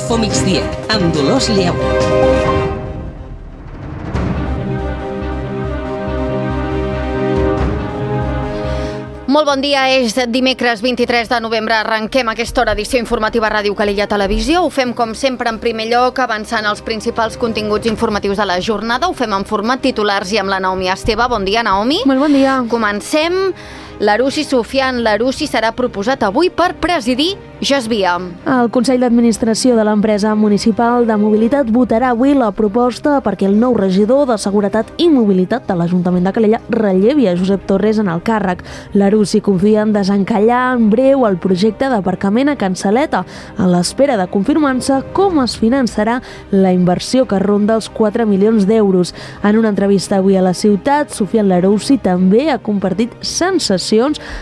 Info Migdia, amb Dolors Lleó. Molt bon dia, és dimecres 23 de novembre. Arrenquem aquesta hora edició informativa a Ràdio Calella Televisió. Ho fem, com sempre, en primer lloc, avançant els principals continguts informatius de la jornada. Ho fem en format titulars i amb la Naomi Esteve. Bon dia, Naomi. Molt bon dia. Comencem. L'Arussi Sufian Larussi serà proposat avui per presidir Gesvia. El Consell d'Administració de l'empresa municipal de mobilitat votarà avui la proposta perquè el nou regidor de Seguretat i Mobilitat de l'Ajuntament de Calella rellevi a Josep Torres en el càrrec. L'Arussi confia en desencallar en breu el projecte d'aparcament a Can Saleta, a l'espera de confirmar-se com es finançarà la inversió que ronda els 4 milions d'euros. En una entrevista avui a la ciutat, Sufian Larussi també ha compartit sensacions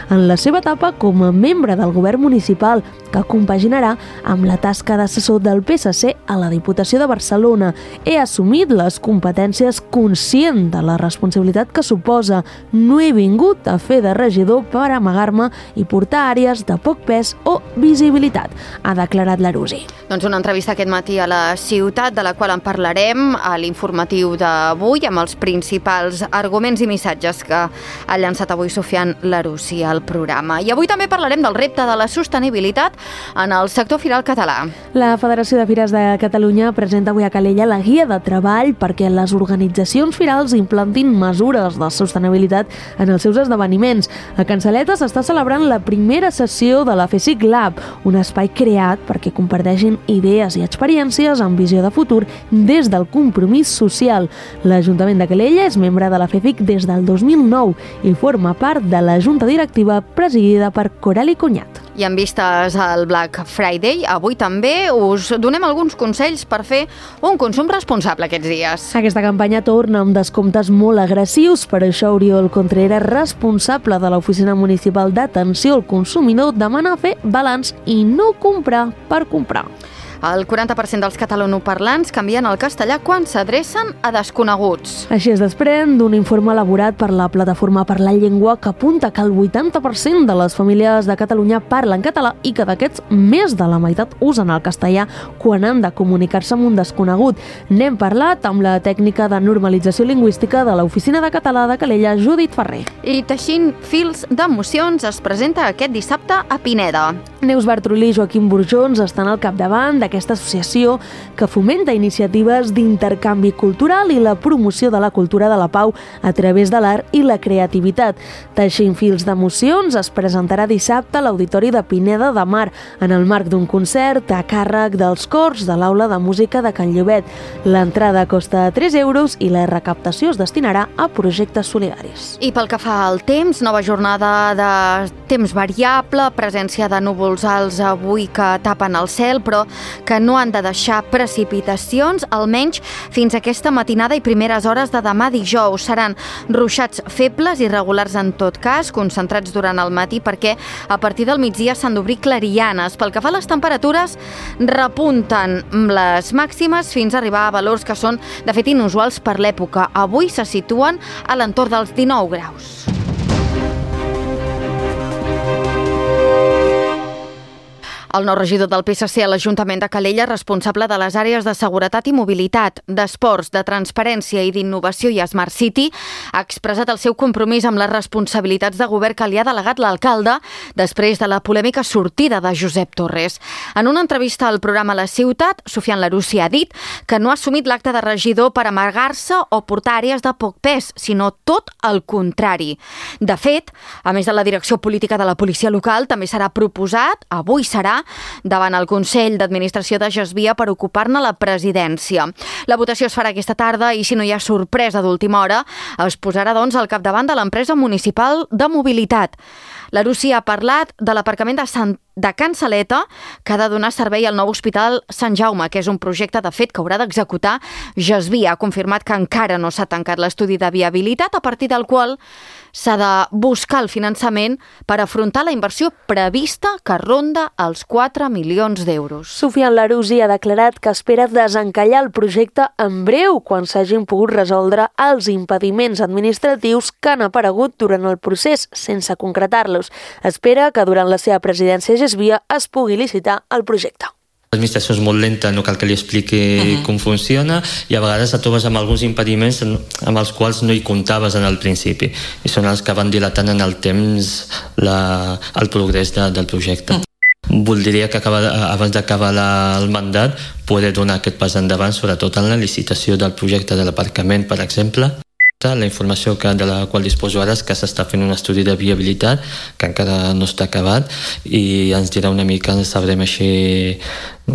en la seva etapa com a membre del govern municipal, que compaginarà amb la tasca d'assessor del PSC a la Diputació de Barcelona. He assumit les competències conscient de la responsabilitat que suposa. No he vingut a fer de regidor per amagar-me i portar àrees de poc pes o visibilitat, ha declarat Larussi. Doncs una entrevista aquest matí a la ciutat, de la qual en parlarem a l'informatiu d'avui, amb els principals arguments i missatges que ha llançat avui Sufian Larussi al programa. I avui també parlarem del repte de la sostenibilitat en el sector firal català. La Federació de Fires de Catalunya presenta avui a Calella la guia de treball perquè les organitzacions firals implantin mesures de sostenibilitat en els seus esdeveniments. A Can Saleta s'està celebrant la primera sessió de la FESIC Lab, un espai creat perquè comparteixin idees i experiències amb visió de futur des del compromís social. L'Ajuntament de Calella és membre de la FESIC des del 2009 i forma part de la junta directiva presidida per Corali Cunyat. I en vistes al Black Friday, avui també us donem alguns consells per fer un consum responsable aquests dies. Aquesta campanya torna amb descomptes molt agressius, per això Oriol Contreras, responsable de l'Oficina Municipal d'Atenció al Consumidor, demana fer balanç i no comprar per comprar. El 40% dels catalanoparlants canvien al castellà quan s'adrecen a desconeguts. Així es desprèn d'un informe elaborat per la Plataforma per la Llengua que apunta que el 80% de les famílies de Catalunya parlen català i que d'aquests més de la meitat usen el castellà quan han de comunicar-se amb un desconegut. N'hem parlat amb la tècnica de normalització lingüística de l'Oficina de Català de Calella, Judit Ferrer. I Teixint fils d'emocions es presenta aquest dissabte a Pineda. Neus Bartrolí i Joaquim Burjons estan al capdavant d'aquesta associació que fomenta iniciatives d'intercanvi cultural i la promoció de la cultura de la pau a través de l'art i la creativitat. Teixint fils d'emocions es presentarà dissabte a l'Auditori de Pineda de Mar en el marc d'un concert a càrrec dels cors de l'Aula de Música de Can Llobet. L'entrada costa 3 euros i la recaptació es destinarà a projectes solidaris. I pel que fa al temps, nova jornada de temps variable, presència de núvols alts avui que tapen el cel, però que no han de deixar precipitacions, almenys fins a aquesta matinada i primeres hores de demà dijous. Seran ruixats febles i regulars en tot cas, concentrats durant el matí, perquè a partir del migdia s'han d'obrir clarianes. Pel que fa a les temperatures, repunten les màximes fins a arribar a valors que són, de fet, inusuals per l'època. Avui se situen a l'entorn dels 19 graus. El nou regidor del PSC a l'Ajuntament de Calella, responsable de les àrees de seguretat i mobilitat, d'esports, de transparència i d'innovació i Smart City, ha expressat el seu compromís amb les responsabilitats de govern que li ha delegat l'alcalde després de la polèmica sortida de Josep Torres. En una entrevista al programa La Ciutat, Sufian Larussi ha dit que no ha assumit l'acte de regidor per amagar-se o portar àrees de poc pes, sinó tot el contrari. De fet, a més de la direcció política de la policia local, també serà proposat, avui serà, davant el Consell d'Administració de Gesvia per ocupar-ne la presidència. La votació es farà aquesta tarda i, si no hi ha sorpresa d'última hora, es posarà doncs al capdavant de l'empresa municipal de mobilitat. Larussi ha parlat de l'aparcament de Can Saleta, que ha de donar servei al nou Hospital Sant Jaume, que és un projecte, de fet, que haurà d'executar Gesvia. Ha confirmat que encara no s'ha tancat l'estudi de viabilitat, a partir del qual s'ha de buscar el finançament per afrontar la inversió prevista que ronda els 4 milions d'euros. Sufian Larussi ha declarat que espera desencallar el projecte en breu quan s'hagin pogut resoldre els impediments administratius que han aparegut durant el procés sense concretar-los. Espera que durant la seva presidència a Gesvia es pugui licitar el projecte. L'administració és molt lenta, no cal que li expliqui com funciona, i a vegades et trobes amb alguns impediments amb els quals no hi comptaves en el principi, i són els que van dilatant en el temps el progrés del projecte. Voldria que abans d'acabar el mandat poder donar aquest pas endavant, sobretot en la licitació del projecte de l'aparcament, per exemple. La informació de la qual disposo ara és que s'està fent un estudi de viabilitat que encara no està acabat, i ens dirà una mica, sabrem així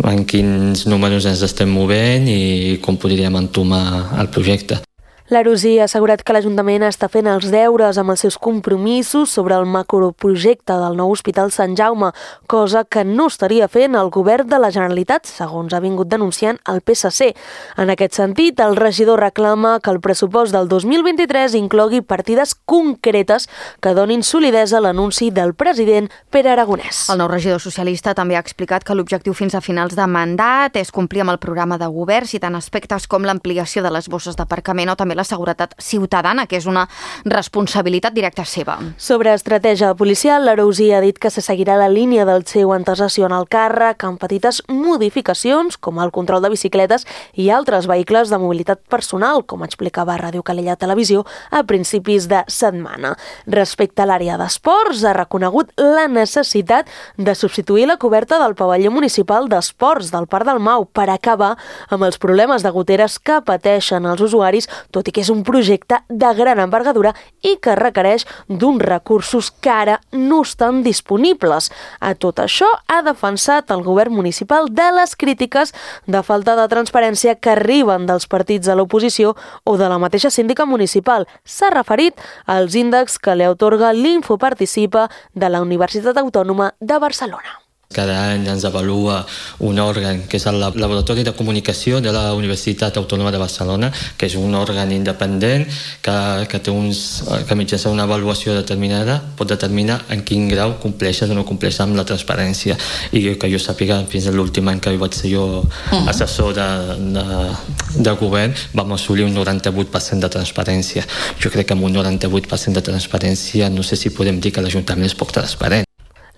en quins números ens estem movent i com podríem entomar el projecte. L'Arús ha assegurat que l'Ajuntament està fent els deures amb els seus compromisos sobre el macroprojecte del nou Hospital Sant Jaume, cosa que no estaria fent el govern de la Generalitat, segons ha vingut denunciant el PSC. En aquest sentit, el regidor reclama que el pressupost del 2023 inclogui partides concretes que donin solidesa a l'anunci del president Pere Aragonès. El nou regidor socialista també ha explicat que l'objectiu fins a finals de mandat és complir amb el programa de govern, citant aspectes com l'ampliació de les bosses d'aparcament o també la seguretat ciutadana, que és una responsabilitat directa seva. Sobre estratègia policial, l'Arús ha dit que se seguirà la línia del seu antecessor en el càrrec amb petites modificacions, com el control de bicicletes i altres vehicles de mobilitat personal, com explicava a Ràdio Calella Televisió a principis de setmana. Respecte a l'àrea d'esports, ha reconegut la necessitat de substituir la coberta del pavelló municipal d'esports del Parc del Mau per acabar amb els problemes de goteres que pateixen els usuaris, tot i que és un projecte de gran envergadura i que requereix d'uns recursos que ara no estan disponibles. A tot això ha defensat el govern municipal de les crítiques de falta de transparència que arriben dels partits de l'oposició o de la mateixa síndica municipal. S'ha referit als índexs que li atorga l'Infoparticipa de la Universitat Autònoma de Barcelona. Cada any ens avalua un òrgan que és el Laboratori de Comunicació de la Universitat Autònoma de Barcelona, que és un òrgan independent que mitjançant una avaluació determinada pot determinar en quin grau compleixes o no compleixes amb la transparència. I que jo sàpiga, fins a l'últim any que vaig ser jo assessor de govern, vam assolir un 98% de transparència. Jo crec que amb un 98% de transparència no sé si podem dir que l'Ajuntament és poc transparent.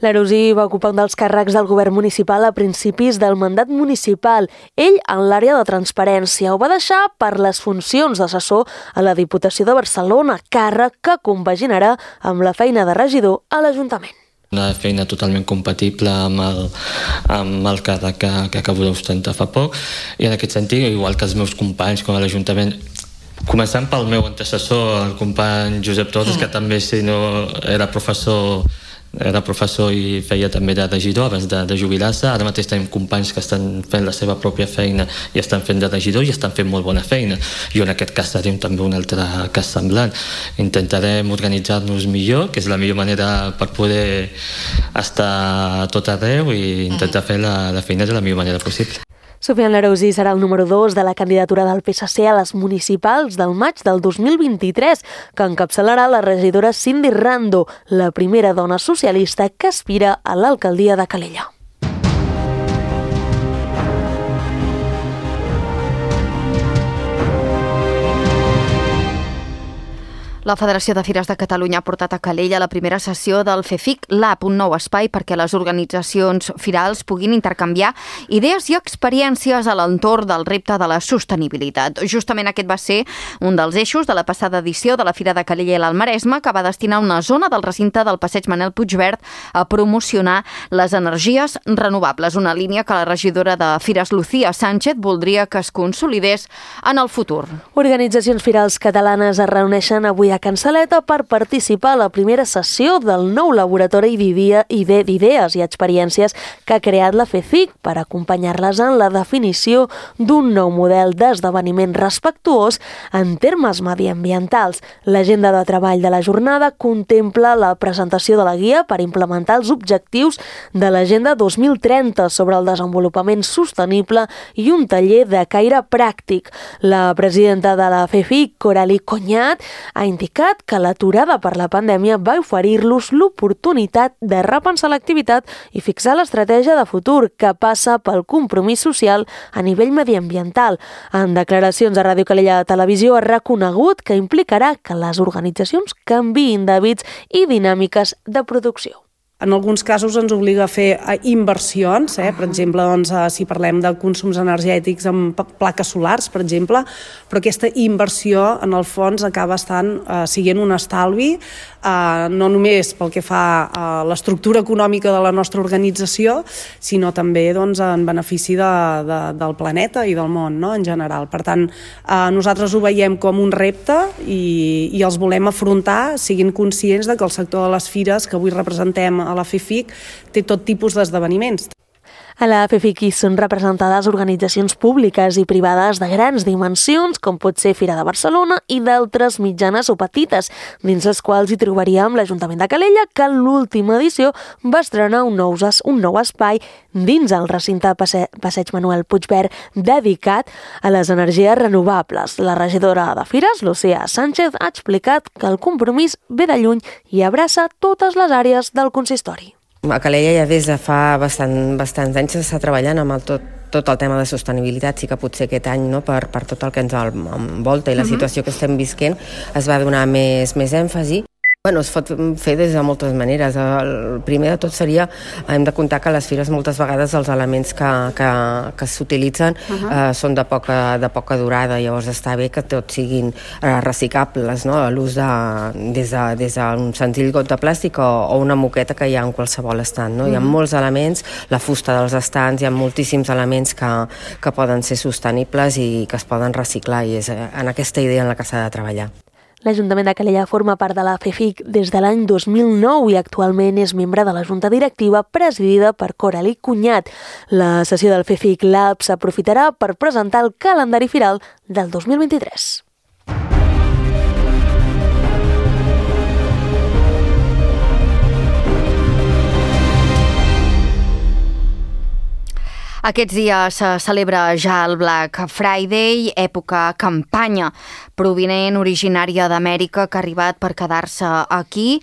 L'Arús va ocupar un dels càrrecs del govern municipal a principis del mandat municipal. Ell, en l'àrea de transparència, ho va deixar per les funcions d'assessor a la Diputació de Barcelona, càrrec que compaginarà amb la feina de regidor a l'Ajuntament. Una feina totalment compatible amb el càrrec que acabo d'ostentar fa poc, i en aquest sentit, igual que els meus companys com a l'Ajuntament, començant pel meu antecessor, el company Josep Torres, que també era professor i feia també de regidor abans de jubilar-se. Ara mateix tenim companys que estan fent la seva pròpia feina i estan fent de regidor i estan fent molt bona feina. Jo en aquest cas tenim també un altre cas semblant. Intentarem organitzar-nos millor, que és la millor manera per poder estar a tot arreu i intentar fer la feina de la millor manera possible. Sofian L'Arús serà el número 2 de la candidatura del PSC a les municipals del maig del 2023, que encapçalarà la regidora Cindy Rando, la primera dona socialista que aspira a l'alcaldia de Calella. La Federació de Fires de Catalunya ha portat a Calella la primera sessió del FEFIC Lab, un nou espai perquè les organitzacions firals puguin intercanviar idees i experiències a l'entorn del repte de la sostenibilitat. Justament aquest va ser un dels eixos de la passada edició de la Fira de Calella i l'Almaresme, que va destinar una zona del recinte del passeig Manel Puigverd a promocionar les energies renovables, una línia que la regidora de Fires, Lucía Sánchez, voldria que es consolidés en el futur. Organitzacions firals catalanes es reuneixen avui a Can Saleta per participar a la primera sessió del nou laboratori d'idees i experiències que ha creat la FEFIC per acompanyar-les en la definició d'un nou model d'esdeveniment respectuós en termes mediambientals. L'agenda de treball de la jornada contempla la presentació de la guia per implementar els objectius de l'Agenda 2030 sobre el desenvolupament sostenible i un taller de caire pràctic. La presidenta de la FEFIC, Coralie Cognat, ha indicat que l'aturada per la pandèmia va oferir-los l'oportunitat de repensar l'activitat i fixar l'estratègia de futur que passa pel compromís social a nivell mediambiental. En declaracions a Ràdio Calella Televisió ha reconegut que implicarà que les organitzacions canviïn d'hàbits i dinàmiques de producció. En alguns casos ens obliga a fer inversions, per exemple, si parlem de consums energètics amb plaques solars, per exemple, però aquesta inversió, en el fons, acaba sent un estalvi, no només pel que fa a l'estructura econòmica de la nostra organització, sinó també en benefici del planeta i del món, no?, en general. Per tant, nosaltres ho veiem com un repte i els volem afrontar, siguin conscients de que el sector de les fires que avui representem a la FEFIC té tot tipus d'esdeveniments. A la FEFIC hi són representades organitzacions públiques i privades de grans dimensions, com pot ser Fira de Barcelona, i d'altres mitjanes o petites, dins les quals hi trobaríem l'Ajuntament de Calella, que en l'última edició va estrenar un nou espai dins el recinte Passeig Manuel Puigverd dedicat a les energies renovables. La regidora de Fires, Lucía Sánchez, ha explicat que el compromís ve de lluny i abraça totes les àrees del consistori. A Calella ja des de fa bastants anys s'està treballant amb tot el tema de sostenibilitat. Sí que potser aquest any, no, per tot el que ens envolta i la situació que estem visquent, es va donar més èmfasi. Es pot fer des de moltes maneres. El primer de tot seria, hem de comptar que a les fires moltes vegades els elements que s'utilitzen són de poca durada, llavors està bé que tots siguin reciclables, no? L'ús des d'un senzill got de plàstic o una moqueta que hi ha en qualsevol estand, no? Hi ha molts elements, la fusta dels estants, hi ha moltíssims elements que poden ser sostenibles i que es poden reciclar, i és en aquesta idea en la que s'ha de treballar. L'Ajuntament de Calella forma part de la FEFIC des de l'any 2009 i actualment és membre de la Junta Directiva presidida per Coralie Cunyat. La sessió del FEFIC Lab s'aprofitarà per presentar el calendari firal del 2023. Aquests dies se celebra ja el Black Friday, època campanya provinent originària d'Amèrica que ha arribat per quedar-se aquí.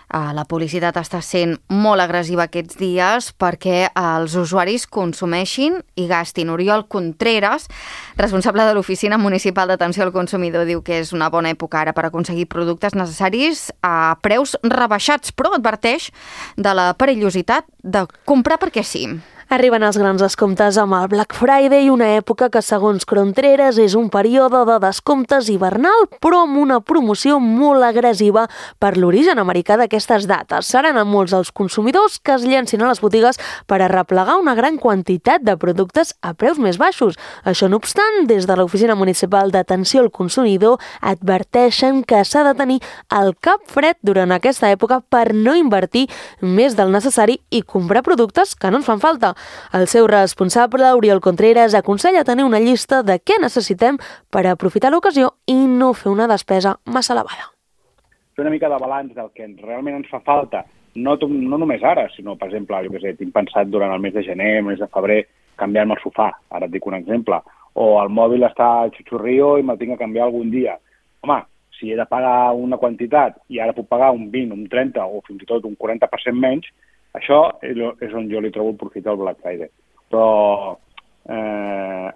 La publicitat està sent molt agressiva aquests dies perquè els usuaris consumeixin i gastin. Oriol Contreras, responsable de l'Oficina Municipal d'Atenció al Consumidor, diu que és una bona època ara per aconseguir productes necessaris a preus rebaixats, però adverteix de la perillositat de comprar perquè sí. Arriben els grans descomptes amb el Black Friday, una època que, segons Contreras, és un període de descomptes hivernal, però amb una promoció molt agressiva per l'origen americà d'aquestes dates. Seran a molts els consumidors que es llencin a les botigues per arreplegar una gran quantitat de productes a preus més baixos. Això no obstant, des de l'Oficina Municipal d'Atenció al Consumidor adverteixen que s'ha de tenir el cap fred durant aquesta època per no invertir més del necessari i comprar productes que no ens fan falta. El seu responsable, Oriol Contreras, aconsella tenir una llista de què necessitem per aprofitar l'ocasió i no fer una despesa massa elevada. Fer una mica de balanç del que realment ens fa falta, no només ara, sinó, per exemple, tinc pensat durant el mes de gener, el mes de febrer, canviar-me el sofà, ara et dic un exemple, o el mòbil està a xutxurrio i me'l tinc que canviar algun dia. Home, si he de pagar una quantitat i ara puc pagar un 20, un 30 o fins i tot un 40% menys, això és on jo li trobo el profit del Black Friday. Però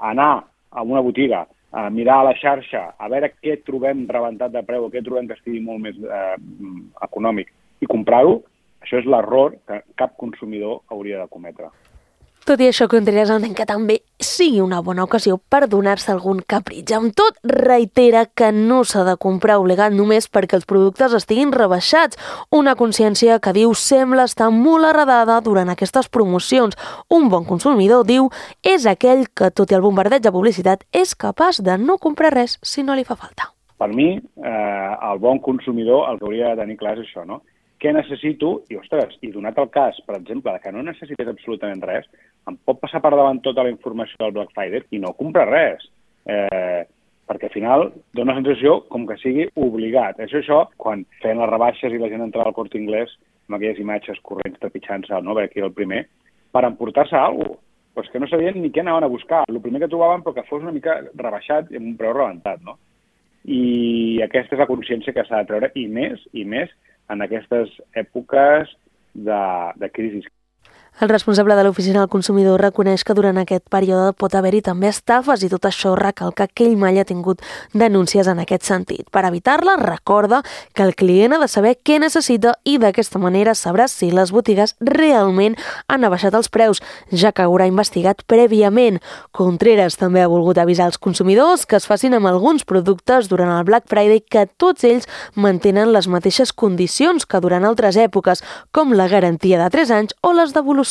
anar a una botiga, a mirar a la xarxa, a veure què trobem rebentat de preu o què trobem que estigui molt més econòmic i comprar-ho, això és l'error que cap consumidor hauria de cometre. Tot i això, Contreras entén que també sigui una bona ocasió per donar-se algun capritx. Amb tot, reitera que no s'ha de comprar obligat només perquè els productes estiguin rebaixats. Una consciència que, diu, sembla estar molt arredada durant aquestes promocions. Un bon consumidor, diu, és aquell que, tot i el bombardeig de publicitat, és capaç de no comprar res si no li fa falta. Per mi, el bon consumidor el que hauria de tenir clar és això, no? Què necessito? I, ostres, i donat el cas, per exemple, que no necessites absolutament res, em pot passar per davant tota la informació del Black Friday i no comprar res. Perquè al final dona la sensació com que sigui obligat. És això, quan feien les rebaixes i la gent entrava al Corte Inglés amb aquelles imatges corrents trepitjant-se, no? A veure qui era el primer, per emportar-se alguna cosa. Però és que no sabien ni què anaven a buscar. El primer que trobaven però que fos una mica rebaixat i amb un preu rebentat, no? I aquesta és la consciència que s'ha de treure, i més en aquestes èpoques de crisi. El responsable de l'Oficina del Consumidor reconeix que durant aquest període pot haver-hi també estafes i tot això recalca que ell mai ha tingut denúncies en aquest sentit. Per evitar-la, recorda que el client ha de saber què necessita i d'aquesta manera sabrà si les botigues realment han abaixat els preus, ja que haurà investigat prèviament. Contreras també ha volgut avisar els consumidors que es facin amb alguns productes durant el Black Friday que tots ells mantenen les mateixes condicions que durant altres èpoques, com la garantia de 3 anys o les devolucions.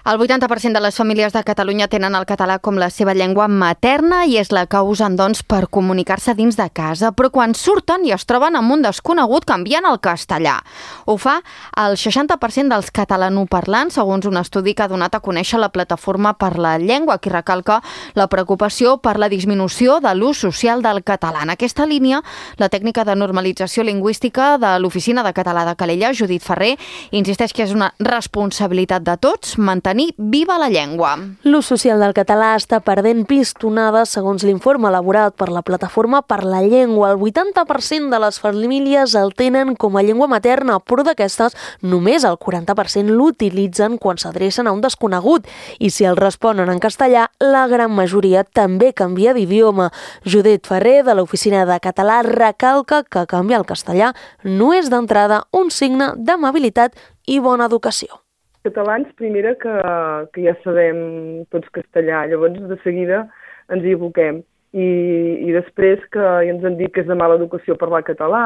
El 80% de les famílies de Catalunya tenen el català com la seva llengua materna i és la que usen, doncs, per comunicar-se dins de casa, però quan surten i es troben amb un desconegut canvien al castellà. Ho fa el 60% dels catalanoparlants, segons un estudi que ha donat a conèixer la Plataforma per la Llengua, que recalca la preocupació per la disminució de l'ús social del català. En aquesta línia, la tècnica de normalització lingüística de l'Oficina de Català de Calella, Judit Ferrer, insisteix que és una responsabilitat de tots mantenir viva la llengua. L'ús social del català està perdent pistonada, segons l'informe elaborat per la Plataforma per la Llengua. El 80% de les famílies el tenen com a llengua materna, però d'aquestes només el 40% l'utilitzen quan s'adrecen a un desconegut. I si el responen en castellà, la gran majoria també canvia d'idioma. Judit Ferrer, de l'Oficina de Català, recalca que canviar el castellà no és d'entrada un signe d'amabilitat i bona educació. Catalans, primera, que ja sabem tots castellà, llavors de seguida ens hi aboquem. I després que ja ens han dit que és de mala educació parlar català,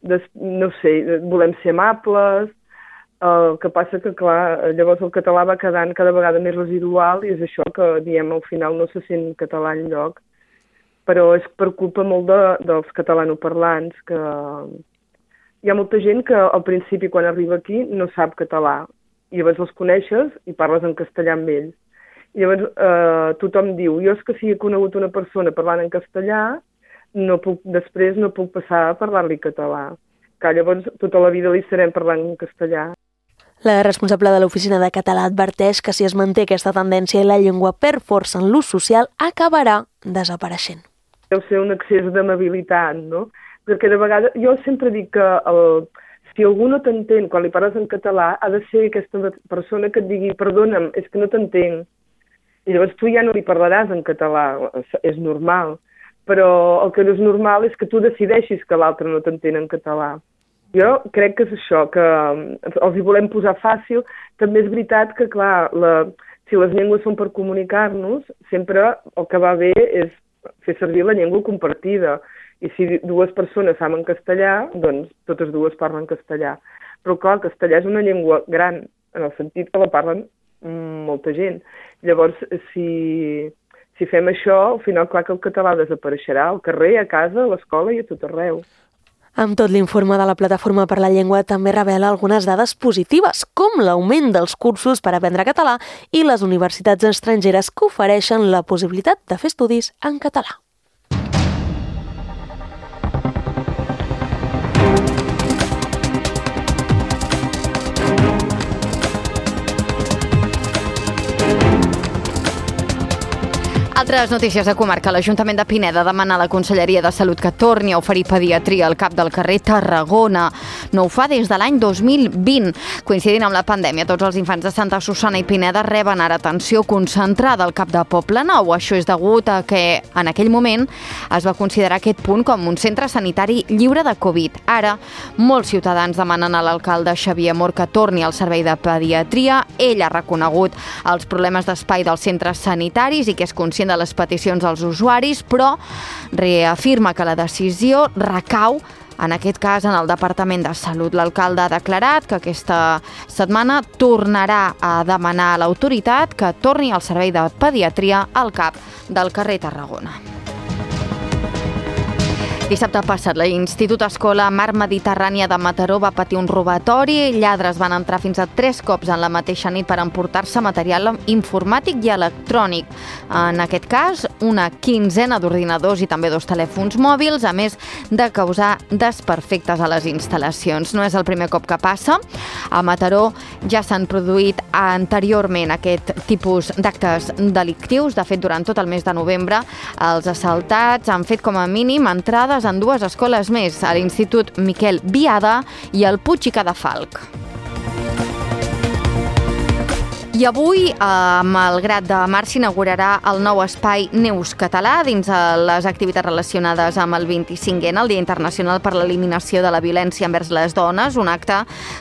no sé, volem ser amables, el que passa que, clar, llavors el català va quedant cada vegada més residual i és això que, diem, al final no se sent català enlloc. Però és per culpa molt dels catalanoparlants, que hi ha molta gent que al principi quan arriba aquí no sap català. I llavors els coneixes i parles en castellà amb ells. I llavors tothom diu, jo és que si he conegut una persona parlant en castellà, després no puc passar a parlar-li català. Que llavors tota la vida li estarem parlant en castellà. La responsable de l'Oficina de Català adverteix que si es manté aquesta tendència i la llengua perd força en l'ús social, acabarà desapareixent. Deu ser un excés d'amabilitat, no? Perquè de vegades, jo sempre dic que si algú no t'entén quan li parles en català, ha de ser aquesta persona que et digui perdona'm, és que no t'entenc. I llavors tu ja no li parlaràs en català, és normal. Però el que no és normal és que tu decideixis que l'altre no t'entén en català. Jo crec que és això, que els hi volem posar fàcil. També és veritat que, clar, si les llengües són per comunicar-nos, sempre el que va bé és fer servir la llengua compartida. I si dues persones saben castellà, doncs totes dues parlen castellà. Però clar, el castellà és una llengua gran, en el sentit que la parlen molta gent. Llavors, si fem això, al final, clar que el català desapareixerà al carrer, a casa, a l'escola i a tot arreu. Amb tot, l'informe de la Plataforma per la Llengua també revela algunes dades positives, com l'augment dels cursos per aprendre català i les universitats estrangeres que ofereixen la possibilitat de fer estudis en català. Altres notícies de comarca. L'Ajuntament de Pineda demana a la Conselleria de Salut que torni a oferir pediatria al CAP del carrer Tarragona. No ho fa des de l'any 2020. Coincidint amb la pandèmia, tots els infants de Santa Susanna i Pineda reben ara atenció concentrada al CAP de Poblenou. Això és degut a que en aquell moment es va considerar aquest punt com un centre sanitari lliure de Covid. Ara, molts ciutadans demanen a l'alcalde Xavier Mor que torni al servei de pediatria. Ell ha reconegut els problemes d'espai dels centres sanitaris i que és conscient de les peticions dels usuaris, però reafirma que la decisió recau en aquest cas en el Departament de Salut. L'alcalde ha declarat que aquesta setmana tornarà a demanar a l'autoritat que torni al servei de pediatria al CAP del carrer Tarragona. Dissabte passat, l'Institut Escola Mar Mediterrània de Mataró va patir un robatori. Lladres van entrar fins a 3 cops en la mateixa nit per emportar-se material informàtic i electrònic. En aquest cas, una quinzena d'ordinadors i també 2 telèfons mòbils, a més de causar desperfectes a les instal·lacions. No és el primer cop que passa. A Mataró ja s'han produït anteriorment aquest tipus d'actes delictius. De fet, durant tot el mes de novembre, els assaltats han fet com a mínim entrades en 2 escoles més, a l'Institut Miquel Biada i al Puig i Cadafalc. I avui, a Malgrat de Mar, s'inaugurarà el nou espai Neus Català dins les activitats relacionades amb el 25è, el Dia Internacional per l'Eliminació de la Violència envers les Dones, un acte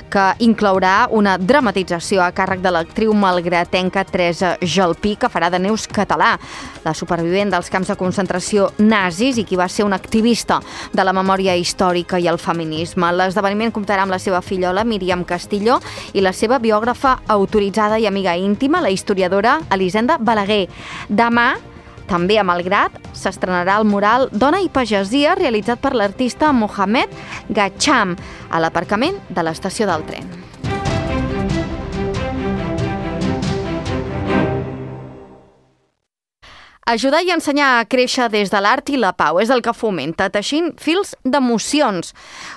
que inclourà una dramatització a càrrec de l'actriu malgratenca Teresa Jalpí, que farà de Neus Català, la supervivent dels camps de concentració nazis i qui va ser una activista de la memòria històrica i el feminisme. L'esdeveniment comptarà amb la seva fillola, Míriam Castillo, i la seva biògrafa autoritzada i amiga íntima, la historiadora Elisenda Balaguer. Demà, també a Malgrat, s'estrenarà el mural Dona i Pagesia, realitzat per l'artista Mohamed Gacham, a l'aparcament de l'estació del tren. Ajudar i ensenyar a créixer des de l'art i la pau és el que fomenta Teixint Fils d'Emocions,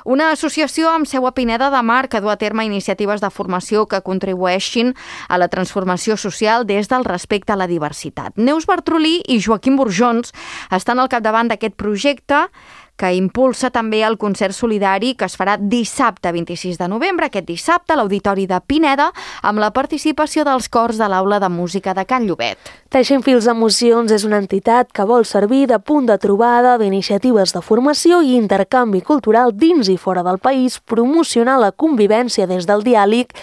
una associació amb seu a Pineda de Mar que du a terme iniciatives de formació que contribueixin a la transformació social des del respecte a la diversitat. Neus Bartrolí i Joaquim Burjons estan al capdavant d'aquest projecte que impulsa també el concert solidari que es farà dissabte 26 de novembre, aquest dissabte, a l'Auditori de Pineda, amb la participació dels cors de l'Aula de Música de Can Llobet. Teixint Fils d'Emocions és una entitat que vol servir de punt de trobada d'iniciatives de formació i intercanvi cultural dins i fora del país, promocionar la convivència des del diàleg,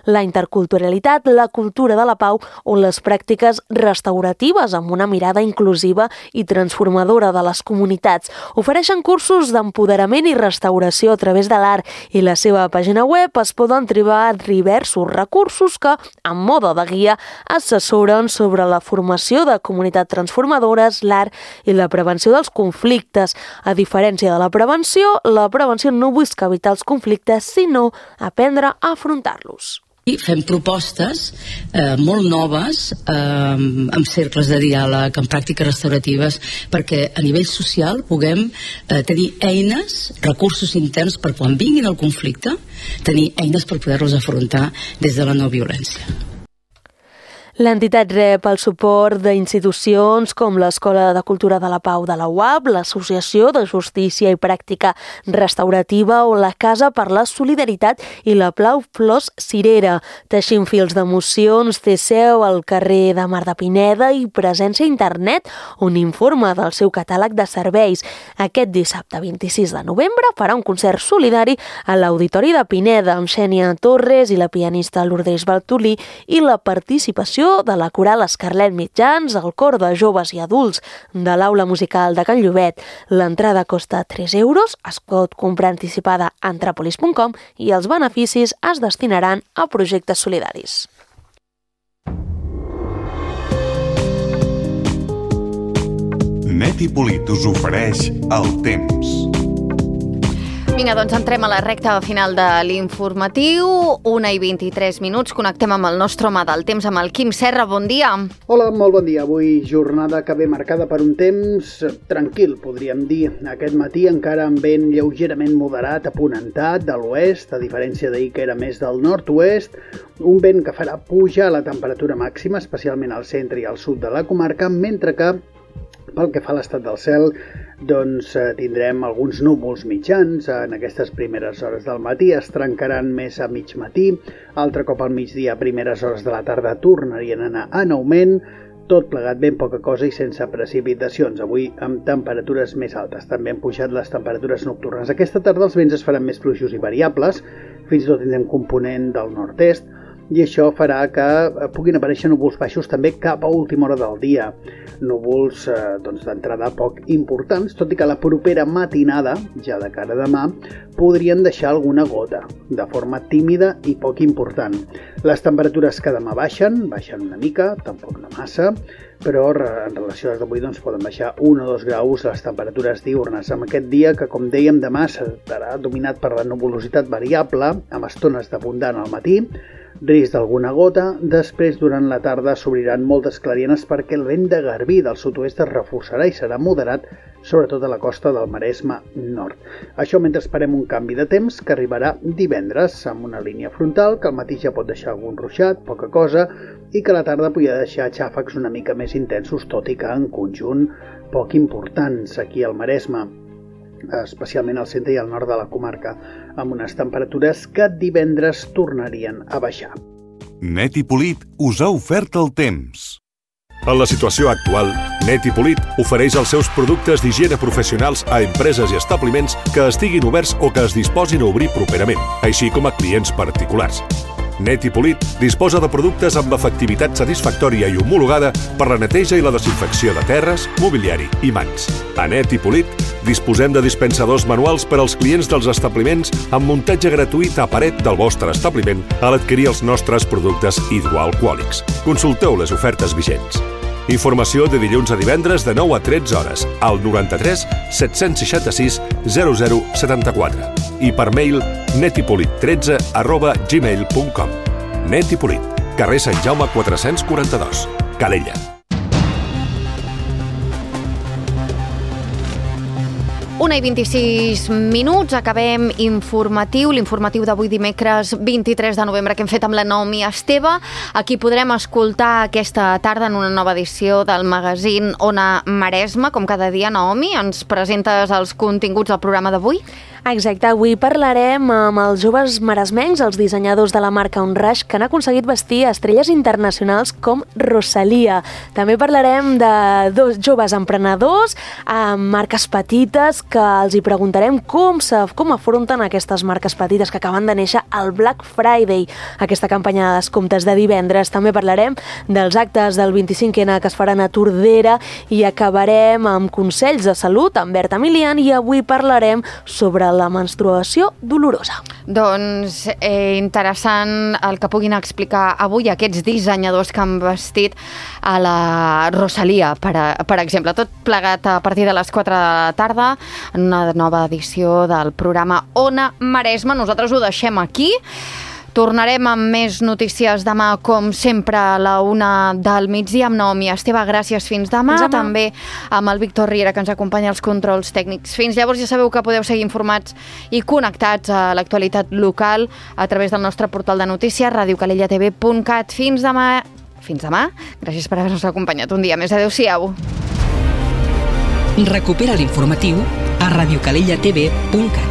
la interculturalitat, la cultura de la pau o les pràctiques restauratives amb una mirada inclusiva i transformadora de les comunitats. Ofereixen cursos d'empoderament i restauració a través de l'art i la seva pàgina web es poden trobar diversos recursos que, en mode de guia, assessoren sobre la formació de comunitats transformadores, l'art i la prevenció dels conflictes. A diferència de la prevenció no busca evitar els conflictes, sinó aprendre a afrontar-los. I fem propostes molt noves amb cercles de diàleg, amb pràctiques restauratives, perquè a nivell social puguem tenir eines, recursos interns per quan vinguin el conflicte, tenir eines per poder-los afrontar des de la no violència. L'entitat rep el suport d'institucions com l'Escola de Cultura de la Pau de la UAB, l'Associació de Justícia i Pràctica Restaurativa o la Casa per la Solidaritat i la Plau Flors Cirera. Teixint Fils d'Emocions té seu al carrer de Mar de Pineda i presència a internet, on informa del seu catàleg de serveis. Aquest dissabte 26 de novembre farà un concert solidari a l'Auditori de Pineda amb Xènia Torres i la pianista Lourdes Bartolí i la participació de la coral Escarlet Mitjans, el cor de joves i adults de l'Aula Musical de Can Llobet. L'entrada costa 3 euros, es pot comprar anticipada a antrapolis.com i els beneficis es destinaran a projectes solidaris. Net i Polit us ofereix el temps. Vinga, doncs entrem a la recta final de l'informatiu. 1:23. Connectem amb el nostre home del temps, amb el Quim Serra. Bon dia. Hola, molt bon dia. Avui jornada que ve marcada per un temps tranquil, podríem dir. Aquest matí encara amb vent lleugerament moderat, aponentat de l'oest, a diferència d'ahir que era més del nord-oest. Un vent que farà pujar la temperatura màxima, especialment al centre i al sud de la comarca, mentre que pel que fa a l'estat del cel, doncs tindrem alguns núvols mitjans. En aquestes primeres hores del matí es trencaran més a mig matí, altre cop al migdia, a primeres hores de la tarda, tornarien a anar en augment, tot plegat ben poca cosa i sense precipitacions. Avui amb temperatures més altes. També han pujat les temperatures nocturnes. Aquesta tarda els vents es faran més fluixos i variables, fins i tot tindrem component del nord-est, i això farà que puguin aparèixer núvols baixos també cap a última hora del dia. Núvols d'entrada poc importants, tot i que la propera matinada, ja de cara a demà, podrien deixar alguna gota, de forma tímida i poc important. Les temperatures que demà baixen una mica, tampoc no massa, però en relació a les d'avui poden baixar 1 o 2 graus les temperatures diürnes. Amb aquest dia, que com dèiem demà serà dominat per la nuvolositat variable, amb estones d'abundant al matí, risc d'alguna gota. Després, durant la tarda, s'obriran moltes clarianes perquè el vent de garbí del sud-oest es reforçarà i serà moderat, sobretot a la costa del Maresme nord. Això mentre esperem un canvi de temps que arribarà divendres amb una línia frontal que al matí ja pot deixar algun ruixat, poca cosa, i que a la tarda podria deixar xàfecs una mica més intensos, tot i que en conjunt poc importants aquí al Maresme, especialment al centre i al nord de la comarca, amb unes temperatures que divendres tornarien a baixar. Net i Polit us ha ofert el temps. En la situació actual, Net i Polit ofereix els seus productes d'higiene professionals a empreses i establiments que estiguin oberts o que es disposin a obrir properament, així com a clients particulars. Net i Polit disposa de productes amb efectivitat satisfactòria i homologada per la neteja i la desinfecció de terres, mobiliari i mans. A Net i Polit disposem de dispensadors manuals per als clients dels establiments amb muntatge gratuït a paret del vostre establiment a l'adquirir els nostres productes hidroalcohòlics. Consulteu les ofertes vigents. Informació de dilluns a divendres de 9 a 13 hores al 93 766 0074 i per mail netipolit13@gmail.com. Net i Polit, carrer Sant Jaume 442, Calella. Una i 26 minuts, acabem l'informatiu d'avui dimecres 23 de novembre que hem fet amb la Naomi Esteve. Aquí podrem escoltar aquesta tarda en una nova edició del magazín Ona Maresme. Com cada dia, Naomi, ens presentes els continguts del programa d'avui? Exacte, avui parlarem amb els joves maresmenys, els dissenyadors de la marca Onrush, que han aconseguit vestir estrelles internacionals com Rosalia. També parlarem de 2 joves emprenedors amb marques petites que els hi preguntarem com afronten aquestes marques petites que acaben de néixer al Black Friday, aquesta campanya de descomptes de divendres. També parlarem dels actes del 25N que es faran a Tordera i acabarem amb consells de salut amb Berta Milian i avui parlarem sobre la menstruació dolorosa. Doncs interessant el que puguin explicar avui aquests dissenyadors que han vestit a la Rosalia, per exemple. Tot plegat a partir de les 4 de la tarda en una nova edició del programa Ona Maresme. Nosaltres ho deixem aquí. Tornarem amb més notícies demà, com sempre, a la 1 del migdia amb Naomi Esteve. Gràcies, fins demà. També amb el Víctor Riera, que ens acompanya als controls tècnics. Fins llavors ja sabeu que podeu seguir informats i connectats a l'actualitat local a través del nostre portal de notícies, radiocalellatv.cat. Fins demà. Gràcies per haver-nos acompanyat un dia més. Adéu-siau. Recupera l'informatiu a radiocalellatv.cat.